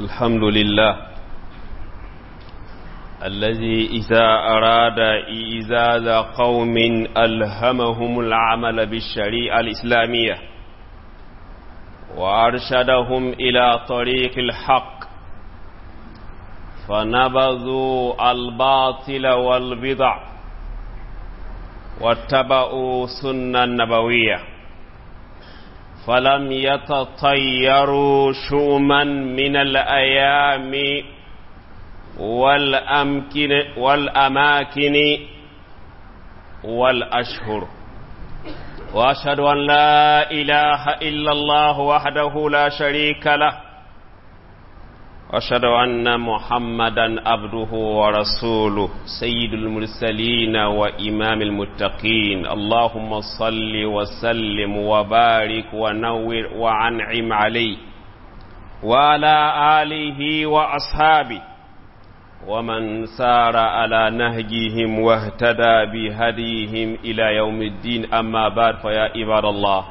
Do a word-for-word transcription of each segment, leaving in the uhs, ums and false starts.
الحمد لله الذي إذا أراد إيزاز قوم ألهمهم العمل بالشريعة الإسلامية وأرشدهم إلى طريق الحق فنبذوا الباطل والبدع واتبعوا سنة النبوية فلم يتطيروا شؤما من الأيام والأمكن والأماكن والأشهر وأشهد أن لا إله إلا الله وحده لا شريك له أشهد أن محمدا عبده ورسوله سيد المرسلين وإمام المتقين اللهم صل وسلم وبارك ونور وعنعم عليه وعلى آله وأصحابه ومن سار على نهجهم واهتدى بهديهم إلى يوم الدين أما بعد فيا عباد الله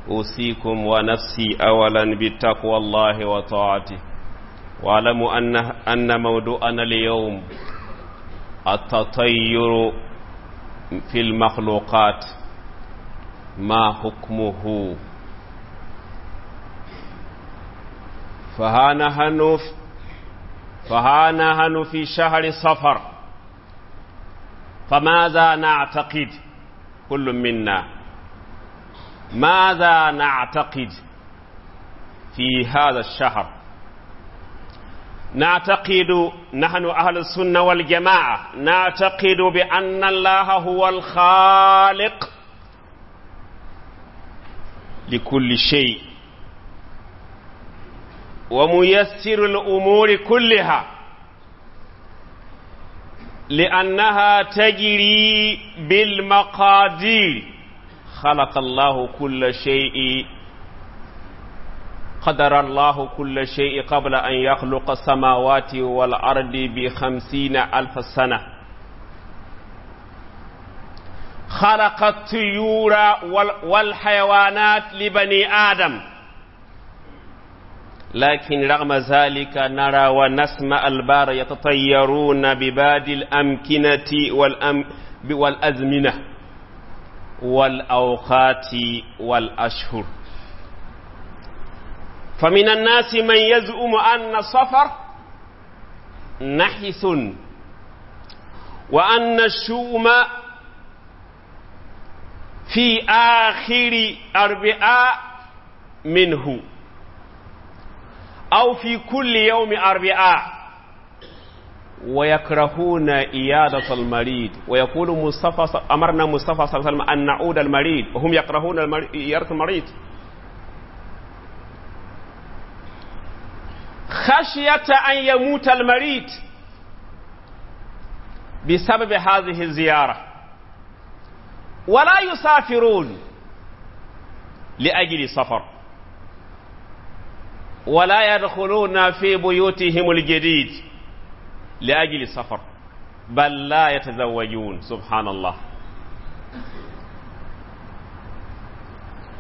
أوصيكم ونفسي أولا بتقوى الله وطاعته واعلموا أن أن موضوعنا اليوم التطير في المخلوقات ما حكمه فها نحن فها نحن في شهر صفر فماذا نعتقد كل منا ماذا نعتقد في هذا الشهر نعتقد نحن أهل السنة والجماعة نعتقد بأن الله هو الخالق لكل شيء وميسر الأمور كلها لأنها تجري بالمقادير خلق الله كل شيء قدر الله كل شيء قبل أن يخلق السماوات والأرض بخمسين ألف سنة خلق الطيور والحيوانات لبني آدم لكن رغم ذلك نرى ونسمع البار يتطيرون بباد الأمكنة والأم والأزمنة والأوقات والأشهر فمن الناس من يزعم أن السفر نحس وأن الشؤم في آخر أربعاء منه أو في كل يوم أربعاء ويكرهون إيادة المريض ويقول مصطفى أمرنا مصطفى صلى الله عليه وسلم أن نعود المريض وهم يكرهون إيادة المريض خشية أن يموت المريض بسبب هذه الزيارة ولا يسافرون لأجل سفر ولا يدخلون في بيوتهم الجديد لأجل السفر بل لا يتزوجون سبحان الله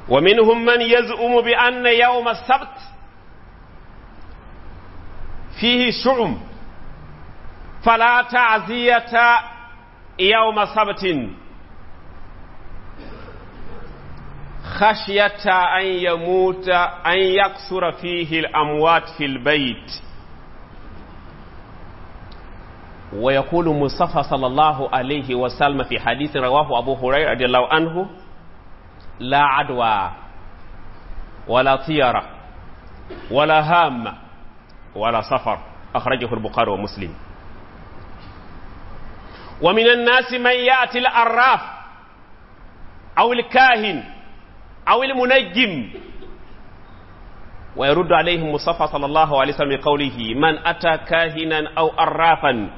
ومنهم من يزعم بأن يوم السبت فيه شؤم فلا تعزية يوم سبت خشية أن يموت أن يقصر فيه الأموات في البيت ويقول مصطفى صلى الله عليه وسلم في حديث رواه أبو هريرة رضي الله عنه لا عدوى ولا طيرة ولا هامة ولا سفر أخرجه البخاري ومسلم ومن الناس من يأتي الأراف أو الكاهن أو المنجم ويرد عليهم مصطفى صلى الله عليه وسلم بقوله من أتى كاهنا أو أرافا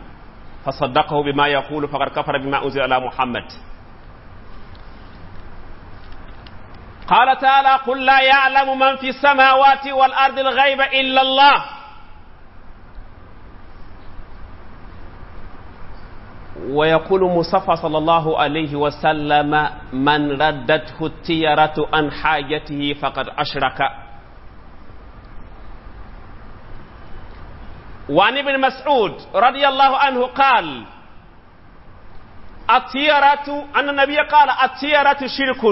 فصدقه بما يقول فقد كفر بما أنزل على محمد قال تعالى قل لا يعلم من في السماوات والأرض الغيب إلا الله ويقول مصطفى صلى الله عليه وسلم من ردته التيرة عن حاجته فقد أشرك وعن ابن مسعود رضي الله عنه قال الطيرة أن النبي قال الطيرة شرك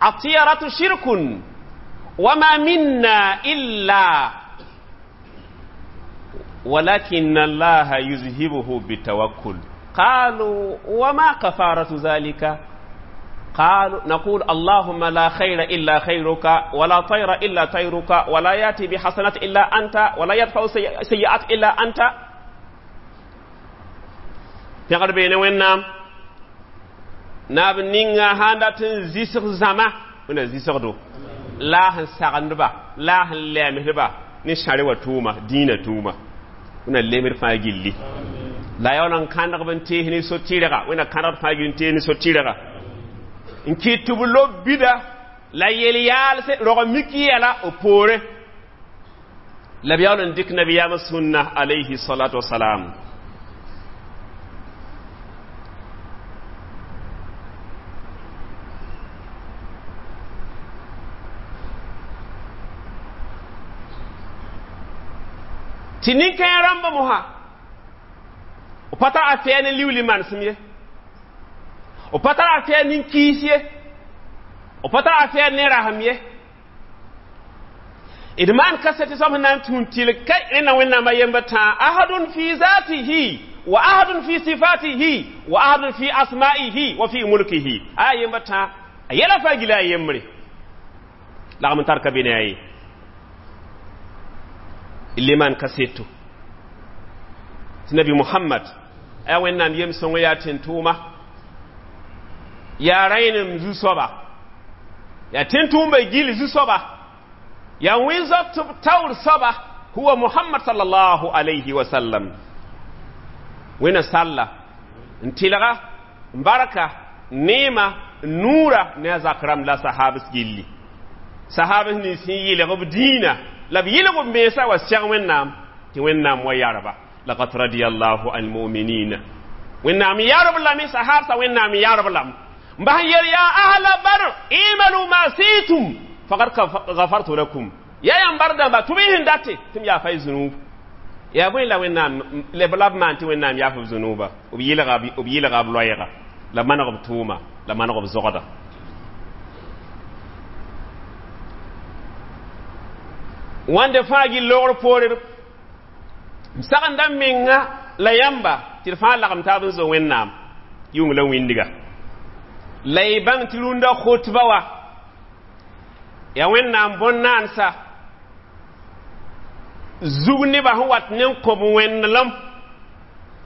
الطيرة شرك وما منا إلا ولكن الله يذهبه بالتوكل. قالوا وما كفارة ذلك؟ قالوا نقول اللهم لا خير إلا خيرك ولا طير إلا طيرك ولا يأتي بحسنة إلا أنت ولا يدفع سيئات إلا أنت. Pẽgd beene Wẽnnaam naab ninga sãn dat n zɩsg zãma wẽnna zɩsgdo la a sẽn sagndba la a sẽn lɛɛmsdba ne sãre wa tʋʋma dĩinã tʋʋma wẽnna lemd fãa gilli la yaool n kãnegb n tees ne so-tɩrga wẽnna kãnegd fãa gil n tees ne so-tɩrga n kɩt tɩ b lob bida la yel-yaalse rog mik yɛla b poore la b yaool n dɩk nabiyaamã sũnna alayhi salatu wasalam. Tɩ nin-kãens rãmba mosã b pa tar afɛɛ ne liuli manesem ye, b pa tar afɛɛ nin-kiis ye, b pa tar afɛɛ ne rasem ye. D maan kaset tɩ soab sẽn na n tũud tɩlg ka rẽnna Wẽnnaam a yembr tãa ahadun fi zatihi wa ahadun fi sifatihi wa ahadun fi asma'ihi wa fi mulkihi. A yembr tãa a yɛla fãa gila a yembre lagm n tar ka be ne a ye liman kaseto tɩ nabi Muhammad yaa Wẽnnaam yem-sõng yaa tẽn-tʋʋma yaa rãenem zu-soaba yaa tẽn-tʋʋmba gil zu-soaba yaa wẽn-zoat b taoor soaba huwa Muhammad sallallahu alayhi wa sallam. Wẽnna salla n tɩlga n barka neema n nuura ne a zak rãmb la sahabs gilli sahabs nins sẽn yɩlg b dĩinã la b yɩlg b mensa wa sɛg Wẽnnaam tɩ Wẽnnaam wa yarba laqad radiyallahu al mu'minina Wẽnnaam yarb lame sahabsa Wẽnnaam yarb lame n bas n yel yaa ahla Badr imalu ma situm faqad ghafartu lakum ya yãmb bar dãmba tʋm y sẽn date tɩ m yaafa y zũnub yaa bõe la Wẽnnaam la b maan tɩ Wẽnnaam yaaf b zũnuba b yɩlga b yɩlga b loɛɛga la maneg b tʋʋma la maneg b zogda. Wãnde fãa gill loogr poore m sagenda m menga la yãmba tɩ d fãa lagem taab n zo Wẽnnaam yʋng la wĩndga la y bãng tɩ rũndã khotba wa yaa Wẽnnaam bõn-naansa zug nebã sẽn wat ne n kõb wẽndelem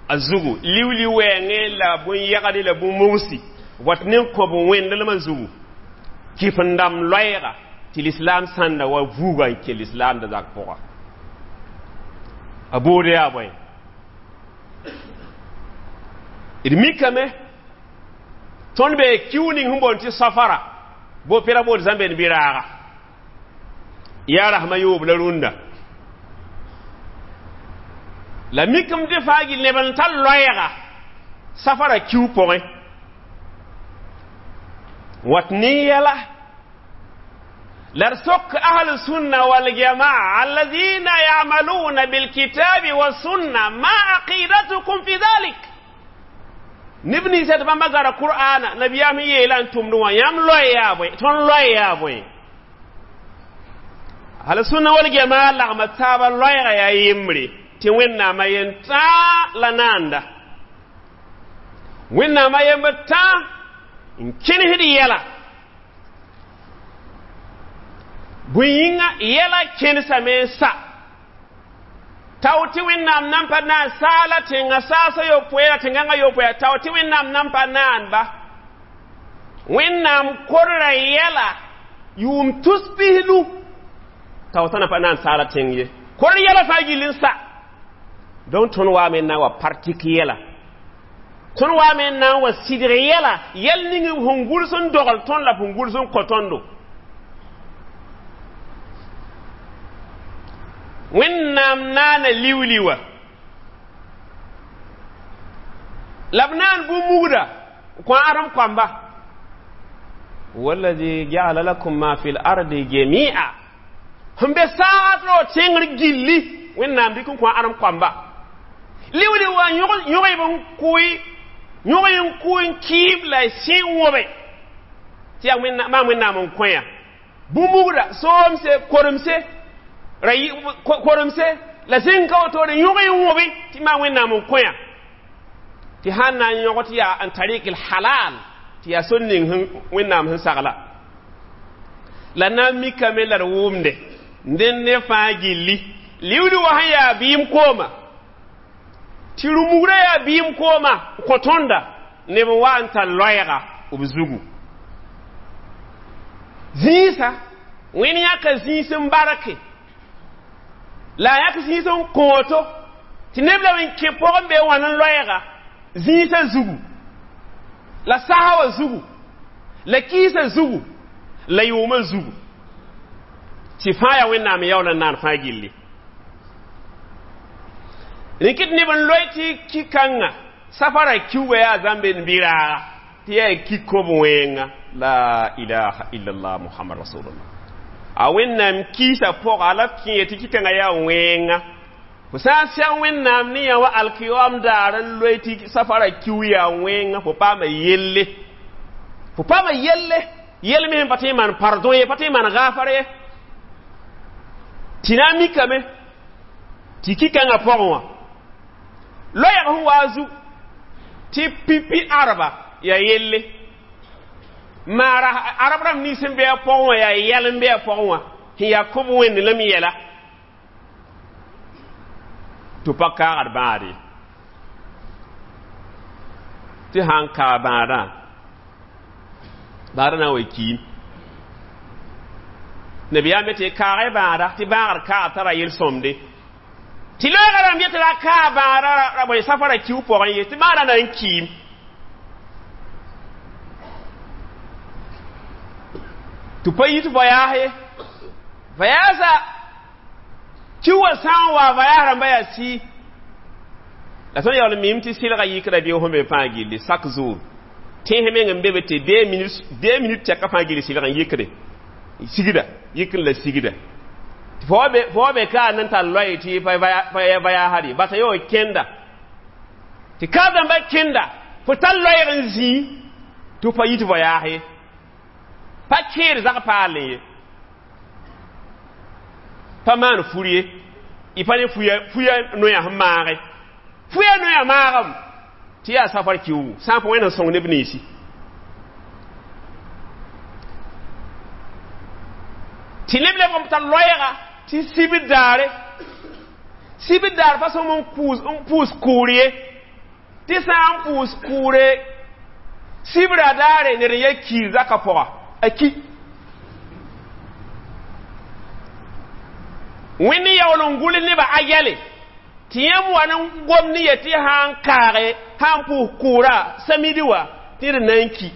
a zugu liuli wɛɛngẽ la bõn-yɛgde la bũn-mugsi wat ne n kõb wẽndelmã zugu kɩf n dãmb loɛɛga tɩ lislaam sãnda wa vuuga n kell lislaam da zak pʋga a boode yaa bõe d mikame tõnd bee kiu ning sẽn boond tɩ safara bo pera bood zãmbeen bɩ raaga yaa rasmã yoob la rũndã la mikame tɩ fãa gil neb n tar loɛɛga safara kiu pʋgẽ wat ne yɛla la d sok ahl sunna waljamaa alladhina yamaluna bilkitabi wassunna ma aqidatukum fi dhalik neb ninsã tɩ bãmba gara qur'ana nabiyaam sẽn yeela n tʋmd wã yãmb loe yaa bõe tõnd loe yaa bõe ahl sunna waljamaa lagma taaba loɛɛga yaa yembre tɩ Wẽnnaamã yen tãa la naanda Wẽnnaamã yembr tãa n kẽnesd yɛla bõe yĩnga yɛla kẽnesame n sa tao tɩ Wẽnnaam nan pa naan saala tẽngã saasã yopoe la tẽngãngã yopoe tao tɩ Wẽnnaam nan pa naan-ba Wẽnnaam korra yɛla yʋʋm tus pisnu tao tã na pa naan saala tẽng ye kor yɛla fãa gill n sa donc tõnd waame n na n wa partik yɛla tõnd waame n na n wa sidg yɛla yɛl ning sẽn gʋls n dogl tõnd la sẽn gʋls n kõ tõndo Wẽnnaam naana liuli wã la b naan bũn-mugda kõ ãdem koamba wallazi ja'ala lakum ma fi l-ardi jami'a sẽn be saagd rao tẽngr gilli Wẽnnaam dɩk n kõ ãdem koamba liwli wa yõg n kʋɩ yõg n kʋ n kɩɩm la sẽ n wõbe tɩ yaa maam Wẽnnaam n kõ ya bũmb-mugda soomse koremse ra koremse la zĩng ka wotore yõg n wõbe tɩ maam Wẽnnaam n kõ ya tɩ sãn na n yõg tɩ yaa n tarɩk halal tɩ yaa sor ning Wẽnnaam sẽn sagla la na n mikame la d wʋmde dẽnd ne fãa gilli liwli wa sẽn yaa bɩɩm kooma tɩ rũ-mugrã yaa bɩɩm kooma kõ tõnda neb n wa n tar loɛɛga b zugu zĩisa Wẽnd yãka zĩis n barke la a yãk zĩis n kõoto tɩ neb la n kẽ pʋgẽ bee wãn n loɛɛga zĩisã zugu la sasa wã zugu la kiisã zugu la yʋʋmã zugu tɩ fãa yaa Wẽnnaam yaool n naan fãa gilli rɩkɩt neb n loe tɩ ki-kãngã safara kiuugã yaa zãmbe n bɩ-raaga tɩ yaa ki kob wẽnga la ilaha illallah muhammad rasulullah a Wẽnnaam kiisã pʋga la b kẽe tɩ ki-kãngã yaa wẽnga fo sã n sɛg Wẽnnaam ne yã wa alkiyoam daar n loe tɩ safara kiu yaa wẽnga fo paama yelle fo paama yelle yel me sẽn pa tõe n maan pardon ye pa tõe n maan gaafar ye tɩ na n mikame tɩ ki-kãngã pʋgẽ wã loɛɛg sẽn wa a zu tɩ pipi arba yaa yelle maara arab rãmb nins sẽn be a pʋgẽ wã yaa yɛl n be a pʋgẽ wã sẽn yaa kob wẽnd lame yɛla tɩ pa kaagd bãad ye tɩ sã n kaag bãadã bãadã na n wa kiim nabiyaam be tɩ kaagẽ bãada tɩ bãagd kaag tara yel-sõmde tɩ loɛɛgã rãmb yetɩ ra kaag bãada ra bõe safara kiu pʋgẽ ye tɩ bãadã na n kiim tɩ pa yit voyaas ye voyaasa kiu wã sã n wa voyaas rãmba yaa sɩ la tõnd yaool n mim tɩ sɩlga yikra beoog sẽn be fãa gilli chaque jour tẽes meng n be be tɩ deux minutes deux minutes tɛka fãa gilli sɩlg n yikde sigda yikr la sigda fo wa be ka n tar loe tɩ pa voyaasd basa yo kẽnda tɩ ka dãmba kẽnda fo tar loɛɛg n zĩi tɩ pa yit voyaas ye pa kẽed zag paal ye pa maan fur ye y pa ne fuya noyã sẽn maage fuya noyã maagem tɩ yaa safar kiuugu sã n pa Wẽnd n sõng neb ninsi tɩ neb lebg n tar loɛɛga tɩ sibr daare sibr daar pa sõm n pʋʋs kʋʋr ye tɩ sã n pʋʋs kʋʋre sibra daare ned n ya kiir zaka pʋga a ki Wẽnd yaool n gʋls nebã a yɛle tɩ yãmb wa n gom ne ye tɩ sã n kaage sã n pʋʋs kʋʋra samidi wã tɩ d na n ki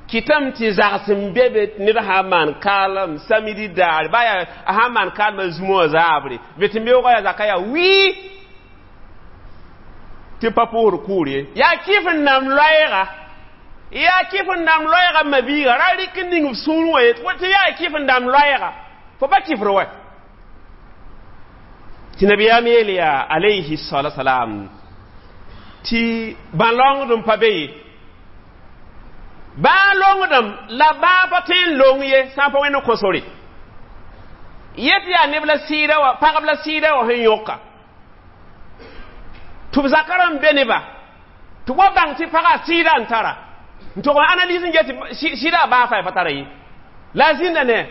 kɩtame tɩ zags n be be ned sã n maan kaalem samidi daar ba yaa a sã n maan kaalmã zũmã wã zaabre be tɩ beoogã yaa zaka yaa wii tɩ pa pʋʋsd kʋʋr ye yaa kɩf n nam loɛɛga yaa kɩf n dam loɛɛga mabiiga ra rɩk n ning f sũur wã ye tɩ yaa kɩf n dam loɛɛga fo pa kɩfr wɛ tɩ nabiyaam yeel yaa alayhi salatu salam tɩ bã-longdem pa be ye bã-longdem la bãa pa tõe n long ye sã n pa Wẽnd n kõ sore yet yaa neb la sɩɩda wã pagb la sɩɩda wã sẽn yõka tɩ b zakã rãmb be neba tɩ wa bãng tɩ pagã sɩɩda n tara n tog n analyse n get tɩ sɩda a baa fa pa tara ye la a zĩnda ne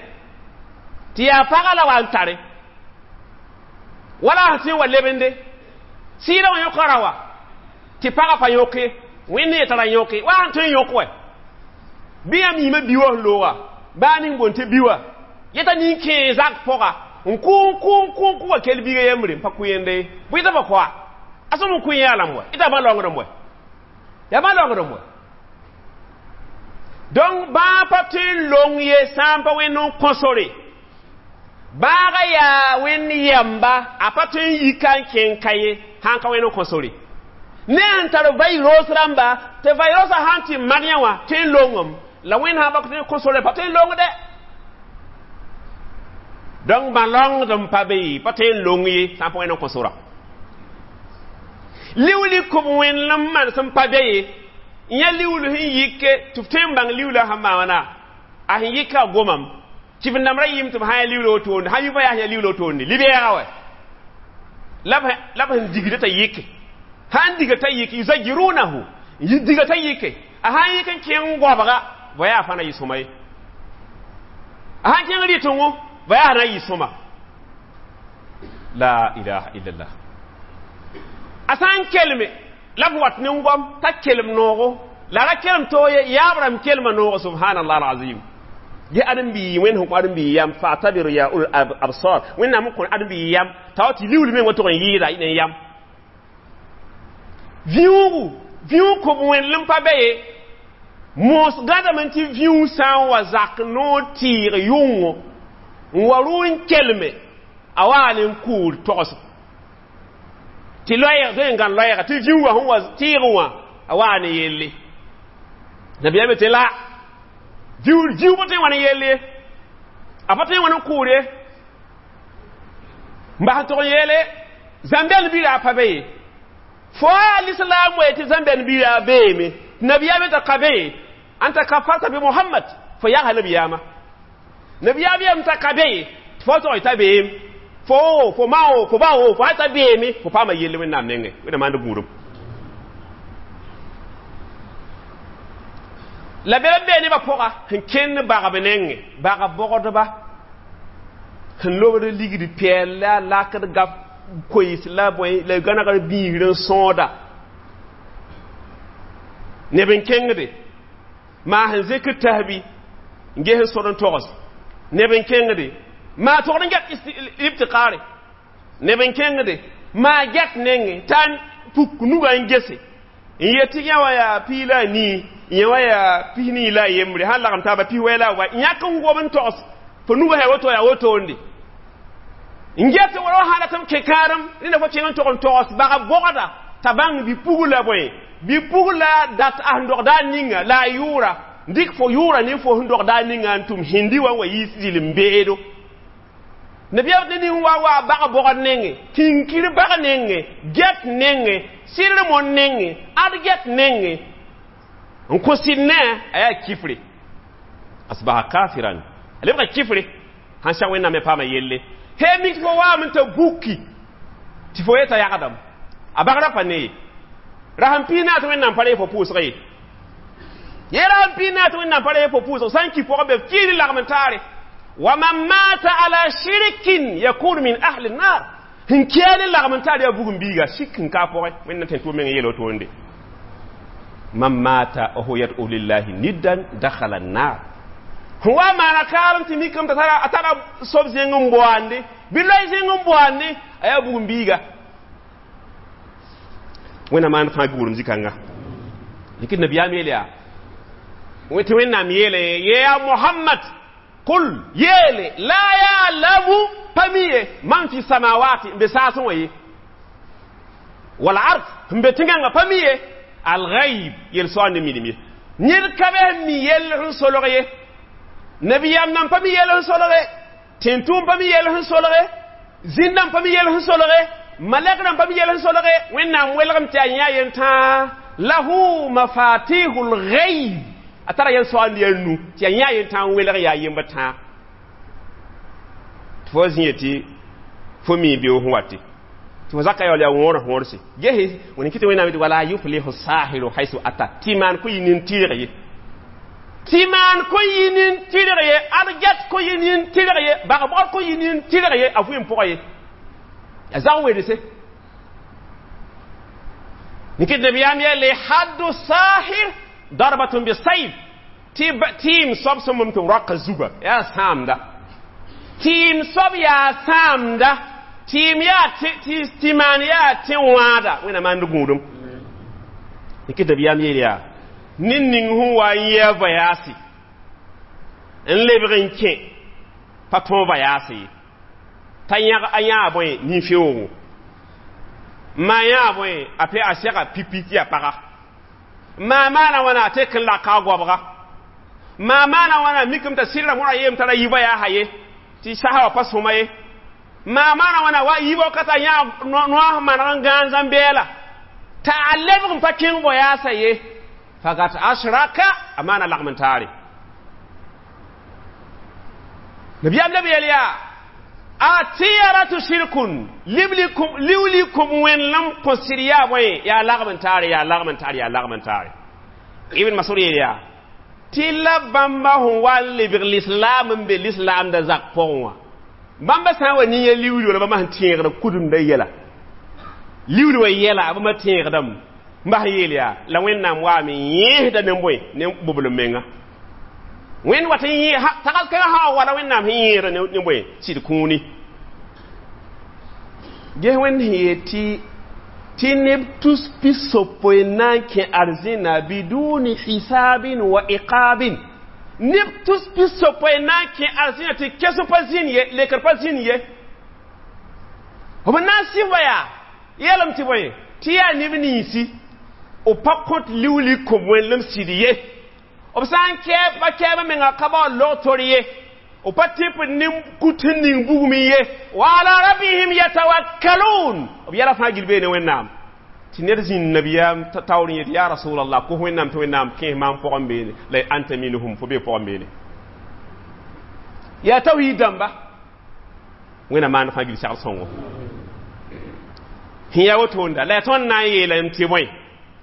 tɩ yaa pagã la wa n tare wala sẽn wa lebende sɩɩda wã yõka ra wa tɩ pagã pa yõk ye Wẽnd yetara yõke wa sẽn tõe n yõk wɛ bɩ yãmb yĩmã bi wã sẽn looga baa ning boon tɩ bi wã yeta nin-kẽe zak pʋga n kʋ n kʋ n kʋ n kʋ wa kell biiga yembre n pa kʋ yende ye bʋ yeta pa koa a sõm n kʋ yã lame wɛ yeta bã-longdem wɛ yaa bã-longdem wɛ donc bãa pa tõe n long ye sã n pa Wẽnd n kõ sore bãaga yaa Wẽnd yɛmba a pa tõe n yika n kẽng ka ye sã n ka Wẽnd n kõ sore ne sẽn tar virus rãmba tɩ virusã sã n tɩ mad yã wã tõe n longem la Wẽnd sã n pa tõe n kõ sore pa tõe n long dɛ Donc bãlongd n pa be pa tõe n long ye sã n pa wẽnd n kõ sora liuli kʋb wẽnlem manesem pa be ye yã liuul sẽn yike tɩ f tõe n bãng liuula sẽn maan wãna a sẽn yika a gomam tɩ f ndãmbra yɩɩm tɩ b sã ya liuula wotone sã yʋ yaa ya liuula wotone libɛɛga wɛ la b sẽn digda t'a yike sãn diga t'a yike yuzajirunahu diga t'a yike a sãn yik n kẽng goabga va yaa fãa na yɩ sõma ye a sãn kẽng rɩtẽngo va yaa na yɩ sõma la ilaha illallah a sã n kelme la b wat ne goam t'a kelem noogo la ra kelem toog ye yaab rãmb kelma noogo subhanallah alazim ge ãdem-biig wẽnd sẽn kõ ãdem-biig yam fa'tabiru ya ul absar wẽnnaam n kõ ãdem-biig yam t'a wa tɩ liuul meng wa tʋg n yɩɩda ne yam vĩuugu vĩuug kõb wẽnlem pa be ye moos gãdame tɩ vĩuug sã n wa zak noor tɩɩg yʋngo n wa rʋ n kelme a waa ne n kʋʋr togs tɩ loɛɛg tõe n gãn loɛɛga tɩ vĩuugã sẽn wa tɩɩgẽ wã a waa ne yelle nabiyaam tɩ la vĩuug vĩuug pa tõe n wa ne yelle ye a pa tõe n wa ne kʋʋr ye n bas n tʋg n yeele zãmbɛl bira pa be ye fo a l'islam wa tɩ zãmbɛl bira beeme nabiyaam t'a ka be ye anta kafarta bi muhammad fo yagsa nabiyaama nabiyaam yam t'a ka be ye tɩ fo tog t'a beem fo fo ma wo fo ba wo fo t'a beeme fo paama yelle wẽnnaam nengẽ wẽnnaam maand gũudum la bela bee nebã pʋga sẽn kẽnd bagb nengẽ bagb bogdba sẽn lobd ligd pɛɛl la lakd gap koees la bõe la gãnegr biisr n sõoda neb n kẽngde maa sẽn zek tasbi n ges n sod n togs neb n kẽngde maa togd n get ibtiqaare neb n kẽngde maa get nengẽ t'a puk nuga n gese n yet tɩ yã wã yaa pii la a nii yã wã yaa pis nii la a yembre sãn lagem taaba pis wɛ la a wa yãk n gob n togs fo nuga sã woto yaa wotonde n get wala sã dat m kẽ kãadem rẽnda fo kẽng n tog n togs bag bogda t'a bãng bɩ pugla bõe bɩ pugla dat a sẽn dogda a ninga la a yʋʋra dɩk fo yʋʋra ne fo sẽn dogda a ninga n tʋm hindi wã n wa yiis zɩlem beedo nabiyaam ne ning wa wa bag bogd nengẽ kinkir bag nengẽ get nengẽ sɩdr mon nengẽ ad get nengẽ n kõ sɩd ne a yaa kifre asbaha kafiran a lebga kifre sãn sag wẽnnaam me paama yelle he mik fo waam n t'a buki tɩ fo yeta yagdame a bagrã pa ne ye rasẽn pii naas wẽnnaam pa ree fo pʋʋsg ye ye rasẽn pii naas wẽnnaam pa ree fo pʋʋsg sã n ki pʋgã be f kiis lagm n taare waman mata ala shirkin yakunu min ahli nnar sẽn kia ne lagm n taar yaa bugum biiga sik n ka pʋgẽ wẽnnaam tẽn tʋʋm meng yeela wotoonde man mata wa huwa yad'u lillahi niddan dakhala an-nar sẽn wa maana kaarem tɩ mikame t'a tara a tara sob zẽng n boande bɩ loe zẽng n boande a yaa bugum biiga wẽnnaam maan fãa guurem zĩ-kãnga dɩk nabiyaam yeel yaa tɩ wẽnnaam yeele ye yaa mohamad qul yeele la ya'lamu pa mi ye man fi samawati n be saasẽ wã ye wal ard n be tẽngãngã pa mi ye alghaib yel-soa ne minim ye ned ka be sẽn mi yell sẽn solg ye nabiyaam nan pa mi yell sẽn solge tẽn-tʋʋm pa mi yell sẽn solge zĩnd-dãmb pa mi yell sẽn solge malɛk rãmb pa mi yell sẽn solge wẽnnaam welgem tɩ a yã yentãa lahu mafatihul ghaib a tara yel-soa n yaa nu tɩ a yã yentãa n welg yaa yemb tãa tɩ fo zĩ yetɩ fo mi beoog sẽn wate tɩ fo zaka yaool yaa wõor wõorse gese wẽn kɩ tɩ wẽnnaam yetɩ wala yuflihu sahiru haisu ata tɩ maan kõ yɩ nin-tɩɩg ye tɩ maan kõ yɩ nin-tɩrg ye ad get kõ yɩ nin-tɩrg ye bag-bogd kõ yɩ nin-tɩrg ye a vʋɩ n pʋgã ye a zag wedse nikɩ nabiyaam yeele haddu sahir darbatun bisayf tɩ tɩɩm soab sẽn mom tɩ roaka zuga yaa sãamda tɩɩm soab yaa sãamda tɩɩm yaa tɩ maan yaa tẽ wãada wẽnnaam maand gũudum nikɩ nabiyaam yeel yaa ned ning sẽn wa n yɩ a vayaase n lebg n kẽ pa tõog vayaase ye t'a yãg a yãa bõe nin-feoogo maa yãa bõe a pe a sɛga pipi tɩ yaa paga maa maana wãna a tek n laka a goabga maa maana wãna mikame t'a sɩdra mõra yeem tara yi vayaasa ye tɩ Tɩ sasa wã pa sõma ye maa maana wãna wa yiibã ka t'a yã noas maneg n gãan zãm-bɛɛla t'a a lebg n pa kẽng bo yaasa ye fakat ashraka a maana lagm n taare nabiyaam leb yel yaa a tiyaratu shirkun liwli kum wẽnlem kõ sɩd yaa bõe yaa lagm n taare yaa lagm n taare yaa lagm n taare ibn masud yeel yaa tɩ la bãmba sẽn wa n lebg lislaam n be lislaamda zak pʋgẽ wã bãmba sã n wa nin ya liwli wala bãmba sẽn tẽegd kudemda yɛla liwli wa yɛla bãmba tẽegdame n bas n yeel yaa la wẽnnaam waame yẽesda ne bõe ne boblem menga wẽnd wat n yẽ tags kãngã sã wala wẽnnaam sẽn yẽesda ne bõe sɩd kũuni ges wẽnd sẽn yeel tɩ tɩ neb tus pisopoe na n kẽ arzẽna biduni hisabin wa iqabin neb tus pisopoe na n kẽ arzẽna tɩ kesem pa zĩnd ye lekr pa zĩnd ye b na n sɩf yaa yeelame tɩ bõe tɩ yaa neb ninsi b pa kõt liwli kom wẽnlem sɩd ye b sã n kɛɛb pa kɛɛbã menga ka bao log tor ye b pa tɩp ne kut sẽn ning bugum ye wa ala rabbihim yatawakkalun b yɛla fãa gil bee ne wẽnnaam tɩ ned zĩnd nabiyaam taoor n yet ya rasulallah kos wẽnnaam tɩ wẽnnaam kẽes maam pʋgẽ beene la anta minhum fo bee pʋgẽ beene yaa tawhiid dãmba wẽnna maan fãa gil segl sõngo sẽn yaa wotoonda la yaa tõnd na n yeelame tɩ bõe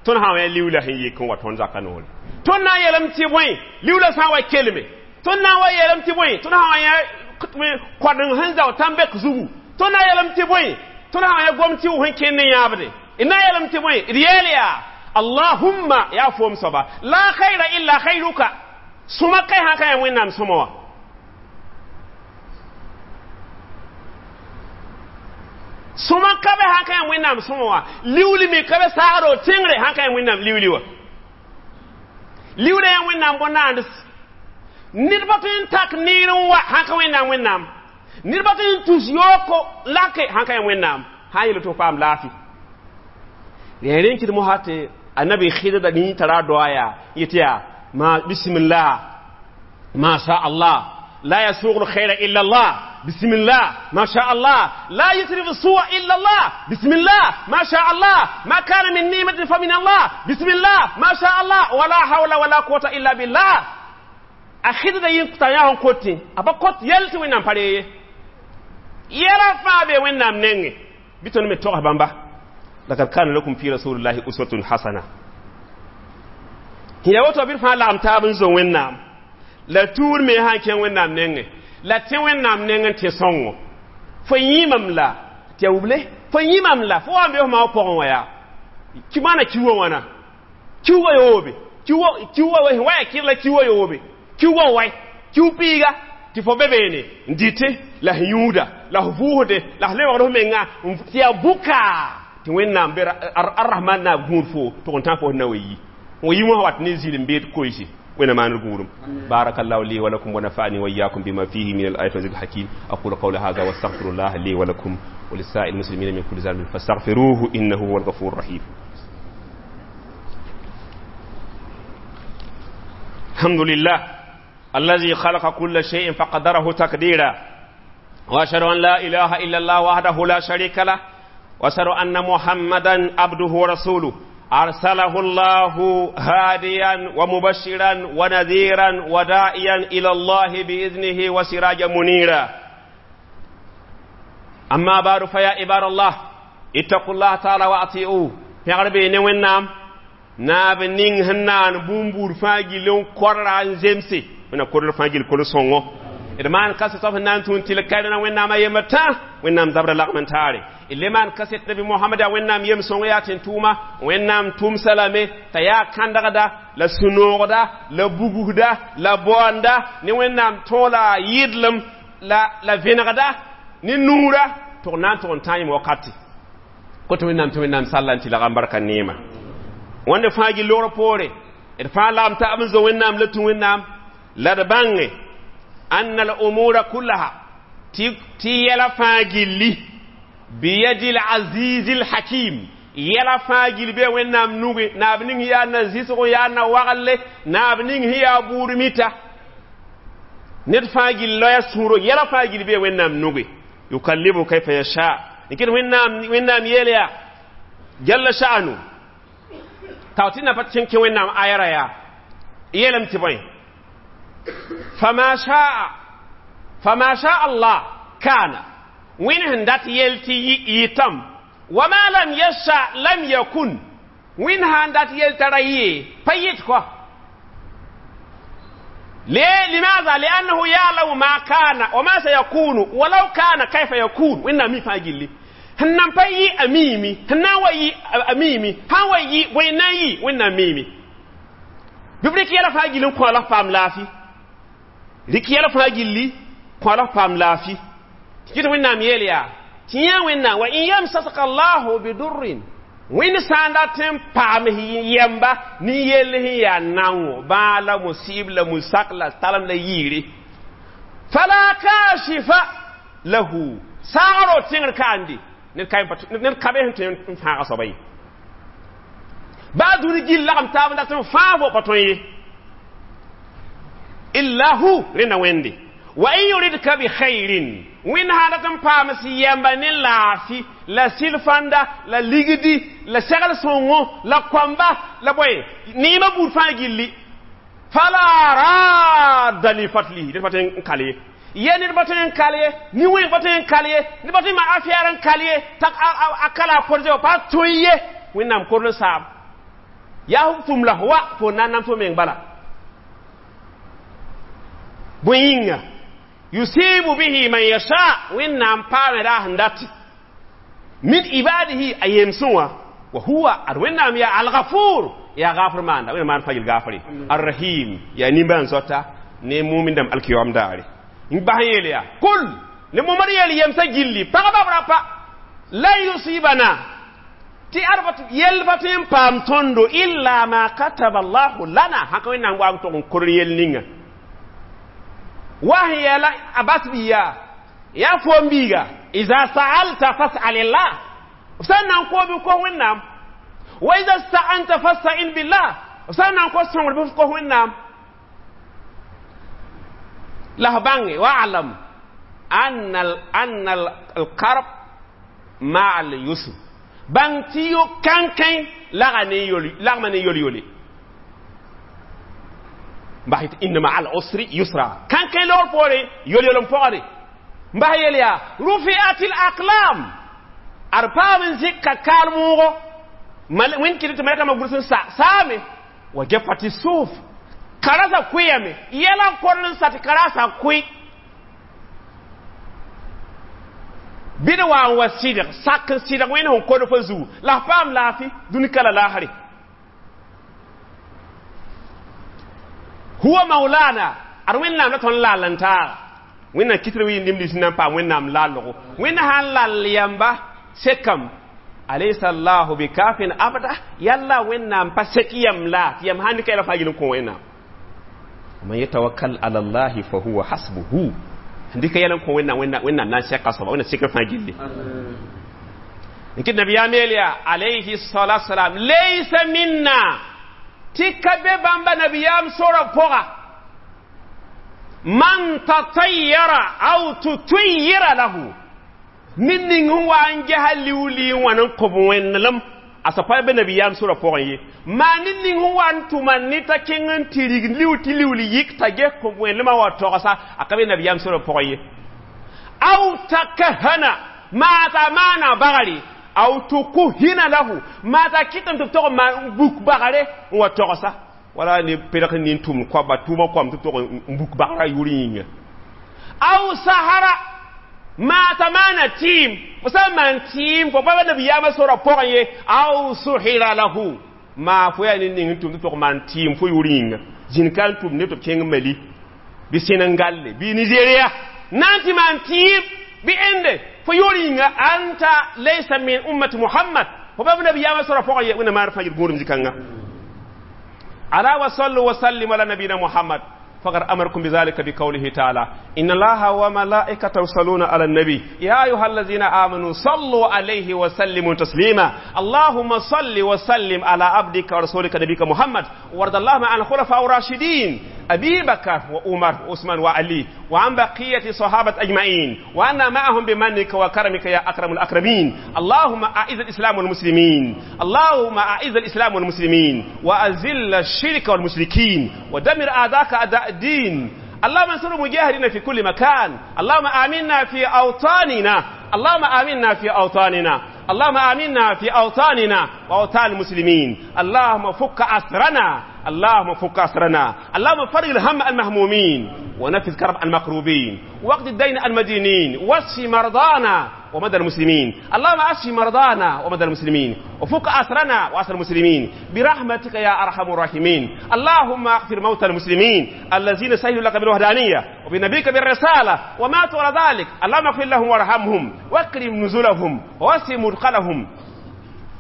tõnd sã n wa liwla sẽn yik n wa tõnd zaka noore tõnd na n yeelame tɩ bõe liwla sã n wa kelme tõnd na n wa yeelame tɩ bõe tõnd sã wa yã koadeng sẽn zao tãn-bɛk zugu tõnd na n yeelame tɩ bõe tõnd sã wa yã gom tɩ sẽn kẽnd ne yãabde d na n yeelame tɩ bõe d yeel yaa allahumma yaa foom soaba la khayra illa khayruka sõma kai sã ka yaa wẽnnaam sõma wã sõma ka be sã ka yaa wẽnnaam sõma wã liwli me ka be saagdo tẽngre sã ka yaa wẽnnaam liwli wã liwla yaa wẽnnaam bõn-naands ned pa tõe n tak neer n wa sã ka wẽnnaam wẽnnaam ned pa tõe n tus yooko lake sã ka yaa wẽnnaam sã n yeel tɩ f paam laafɩ rẽ rẽn kɩd mosã tɩ annabi khidr nin tara doa yaa yetɩ yaa ma bismillah ma sha allah la yasuqu alkhayra illa allah bismillah ma sha allah la yusrifu su'a illa allah bismillah ma sha allah ma kana min ni'matin fa min allah bismillah ma sha allah wala hawla wala quwwata illa billah a khidr yin ta ya hon koti aba kot yelti wẽnnaam pa ree ye yɛla fãa be wẽnnaam nengẽ bɩ tõnd me togs bãmba lakad kana lakum fi rasulillahi uswatun hasana ya woto bɩ fãa lagem taab n zo wẽnnaam la tuur me sã n kẽng wẽnnaam nengẽ la tẽ wẽnnaam nengẽ tẽ sõngo fo yĩmam la tɩ ya wuble fo yĩmam la fo wa n be f maoog pʋgẽ wã yaa ki maana kiwã wãna kiwã yoobe kiwã wa ya kɩr la kiwã yoobe kiwã wai kiw piiga tɩ fo be beene n dɩte la f yũuda la f vʋʋsde la f lebgd f menga tɩ yaa bʋka tɩ wẽnnaam be arrahman naab gũud fo tʋg n tã fo na wa yi wa yi wã wat ne zĩl n beed koeese wẽnna maanr gũudum barakallahu li wa lakum wa nafa'ani wa iyyakum bima fihi min al-ayati wa dhikr hakim aqulu qawla hadha wa astaghfirullah li wa lakum wa lisa'il muslimina min kulli dhanbin fastaghfiruhu innahu huwal ghafurur rahim alhamdulillah الذي خلق كل شيء فقدره تقديرا وأشهد أن لا إله إلا الله وحده لا شريك له وأشهد أن محمدا عبده ورسوله أرسله الله هاديا ومبشرا ونذيرا وداعيا إلى الله بإذنه وسراجا منيرا أما بعد فيا عباد الله اتقوا الله تعالى وأطيعوه في غربي نوينام ناب نين هنان بومبور فاجي لون قران زمسي wẽna korl fãa gil kol sõngo d maan kaset b sẽn na n tũun tɩ l kaɩdna wẽnnaamã yembr tã wẽnnaam zabra lagm n taare d le maan kaset nabi mohamad yaa wẽnnaam yem sõng yaa tɩ n tʋʋma wẽnnaam tʋmsa lame t'a yaa kãndgda la sũ-noogda la bugusda la baoanda ne wẽnnaam tõola yɩdlem la la vẽnegda ne nuura tɩg na n tʋg n tã yẽm wakati koto wẽnnaam tɩ wẽnnaam salla n tɩ lagam barka neema wãnde fãa gil logr poore d fãa lagm taab n zo wẽnnaam la tũ wẽnnaam la d bãnge anna al-umura kullaha tɩ yɛla fãa gilli biyadi al-aziz al-hakim yɛla fãa gil be wẽnnaam nuge naab ning yaa na zɩsg yaa na wagle naab ning sẽn yaa buud mita Ned fãa gill loya sũuro yɛla fãa gill bee Wẽnnaam nuge yukallibu kayfa yasha n kɩt Wẽnnaam Wẽnnaam yeel yaa jalla sha'anu tao tɩ na pa tɩ kẽ Wẽnnaam ayara yaa yeelame tɩ bõe fama shaa fama shaa Allah kana Wẽnd sẽn dat yel tɩ yɩtame wama lam yasha lam yakun Wẽnd sãn dat yel t'a ra yɩ pa yɩt kɔ. ليه؟ لماذا؟ لأنه يعلم ما كان وما سيكون ولو كان كيف يكون. وإن مي فاجلي هنم باي أميمي هنا وي أميمي ها وي وين يي وين ميمي ببريك يلا فاجلي كو الله فام لافي ريك يلا فاجلي كو الله فام لافي كده وين ميليا تيا وين وإن يمسسك الله بدر wẽnd sã n dat n paam yɛmba ne yell sẽn yaa naongo bãa la musib la musak la talem la yiire fala kashifa lahu saagro tẽngr kaande ned ka be sẽn tõe n fãaga soaba ye baa dũni gill lagem taab n dat n fãag fo pa tõe ye illa hu rẽnda Wẽnde wa in yuridka bi khairin wẽnd sã dat n paam sɩ yɛmba ne laafɩ la sɩlfãnda la ligdi la segl sõngo la koamba la bõe neemã buud fãa gilli fala radda li fadlihi ned pa tõe n kal ye ye ned pa tõe n kal ye ni-wẽng pa tõe n kal ye ned pa tõe n maan afɛɛr n kal ye t'a a kala a korze wa pa tõe ye Wẽnnaam korl n saam yaa f tʋm la f wa fo na n nam fo meng bala bõe yĩnga yusibu bihi man yasha Wẽnnaam paame raa sẽn dat min ibadihi a yemsẽ wã wa huwa ad Wẽnnaam yaa algafur yaa gafr maanda Wẽnnaam maan fãa yel gafre arrahim yaa nimbãan-zoata ne mumin dãmb alkiyoam daare n bas n yeel yaa kul ne momad yeel yemsã gilli pagba b rapa lan yusibana tɩ ad yell pa tõe n paam tõndo illa ma kataba allahu lana sãka Wẽnnaam wa n tog n kor yell ninga wa yɛla a bas biya ya fo biiga iza sa'alta fas'alillah sã n na n koo bɩ kos Wẽnnaam wa iza sta'anta fasta'in billah sã n na n kos sõngr bɩ f kos Wẽnnaam la f bãnge wa'lam anna anna al-karb ma'a al-yusr bãng tɩ yo kãnkẽ lagma ne yol-yole mbas inna ma'a al-usri yusra kãnkẽ logr poore yol-yol n pɔgde mbas yel yaa rufi'at al-aqlam ad paam n zɩk ka kaal moogo wẽnd kɩt tɩ malɛkãmbã gʋls n sa saame wa gefati suhuf karasa kʋɩyame yɛla n korl n sa tɩ karasa kʋɩ bɩ d wa n wa sɩdg sak n sɩdg wẽnd sẽn kod fo zugu la f paam laafɩ dũni ka la laasre huwa maulana ad Wẽnnaam la tõnd laal n taaga Wẽnnaam kɩtr wɩɩ lis n na n paam Wẽnnaam laalgo Wẽnd sã n lall yamba sekam alaysa allahu bikafin abda yalla Wẽnnaam pa sek yam la tɩ yam sãn dɩka yɛla fãa gill n kõ Wẽnnaam man yatawakkal ala allahi fa huwa hasbuhu dɩka yɛl n kõ Wẽnnaam Wẽnnaam na n sɛka soaba Wẽnnaam sekr fãa gilli n kɩt nabiyaam yeel yaa alayhi salatu wasalam laysa minna tɩ ka be bãmba nabiyaam sora pʋga man tatayyara aw tutuyyira lahu ned ning n wa n gesa liuuli n wã n kõb wẽnelem a sã pa be nabiyaam sora pʋgẽ ye maa ned ning n wa n tʋma ne t'a kẽng n tɩ rig liu tɩ liuuli yik t'a ges kõb wẽnelmã wa togsa a ka be nabiyaam sora pʋgẽ ye aw takahana maa t'a maana bagre aw tukuhina lahu maa t'a kɩtame tɩ b tog n buk bagre n wa togsa wala ne pedg nin tʋmd koaba tʋʋmã koam tɩ b tog n buk bagrã yʋʋr yĩnga aw sahara maa t'a maana tɩɩm fo sã n maan tɩɩm fo pa nabiyaamã sora pʋgẽ ye aw suhira lahu maa fo yaa ned ning n tʋm tɩ tog maan tɩɩm fo yʋʋr yĩnga zĩn ka n tʋm ne tɩ b kẽng Mali bɩ Senegal bɩ Nigeria na n tɩ maan tɩɩm bɩ ẽnde fo yʋʋr yĩnga anta laysa min ummati Muhammad fo pa nabiyaamã sora pʋgẽ ye Wẽnnaam maar fãa yel gũudum zĩ-kãnga ala wa sallu wa sallim ala nabiyina Muhammad فقد أمركم بذلك بقوله تعالى إن الله وملائكته يصلون على النبي يا أيها الذين آمنوا صلوا عليه وسلموا تسليما اللهم صل وسلم على عبدك ورسولك نبيك محمد وارض اللهم عن الخلفاء الراشدين أبي بكر وعمر وعثمان وعلي وعن بقية الصحابة أجمعين وعنا معهم بمنك وكرمك يا أكرم الأكرمين. اللهم أعز الإسلام والمسلمين، اللهم أعز الإسلام والمسلمين، وأذل الشرك والمشركين، ودمر أعداءك أعداء الدين. اللهم انصر المجاهدين في كل مكان. اللهم آمنا في أوطاننا، اللهم آمنا في أوطاننا، اللهم آمنا في أوطاننا وأوطان المسلمين. اللهم فك أسرنا، اللهم فك أسرنا، اللهم فرج الهم المهمومين، ونفذ كرب المكروبين، واقض الدين المدينين، واشف مرضانا ومدى المسلمين. اللهم اشف مرضانا ومدى المسلمين، وفك أسرنا وأسر المسلمين برحمتك يا أرحم الراحمين. اللهم اغفر موتى المسلمين الذين شهدوا لك بالوحدانية وبنبيك بالرسالة وماتوا على ذلك. اللهم اغفر لهم وارحمهم، واكرم نزلهم، ووسع مدخلهم،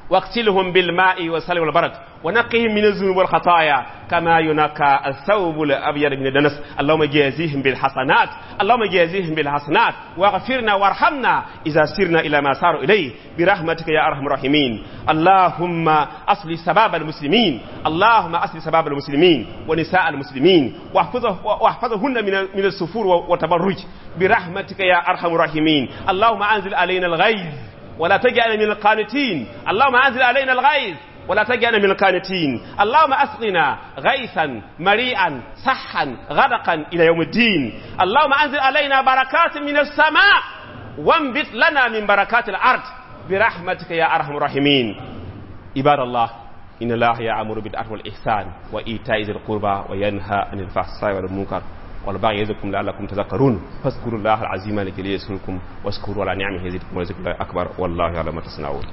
واغسلهم بالماء والثلج والبرد، ونقهم من الذنوب والخطايا كما ينقى الثوب الابيض من الدنس. اللهم جازيهم بالحسنات، اللهم جازيهم بالحسنات، واغفرنا وارحمنا اذا سرنا الى ما ساروا اليه برحمتك يا ارحم الراحمين. اللهم اصلح شباب المسلمين، اللهم اصلح شباب المسلمين ونساء المسلمين، واحفظه واحفظهن من من السفور والتبرج برحمتك يا ارحم الراحمين. اللهم انزل علينا الغيث ولا تجعلنا من القانتين. اللهم انزل علينا الغيث ولا تجعلنا من القانتين. اللهم اسقنا غيثا مريئا صحا غدقا الى يوم الدين. اللهم انزل علينا بركات من السماء وانبت لنا من بركات الارض برحمتك يا ارحم الراحمين. عباد الله، ان الله يأمر بالعدل والاحسان وايتاء ذي القربى وينهى عن الفحشاء والمنكر والبغي يعظكم لعلكم تذكرون. فاذكروا الله العظيم الجليل يذكركم، واشكروا على نعمه يزدكم، ولذكر الله اكبر، والله يعلم ما تصنعون.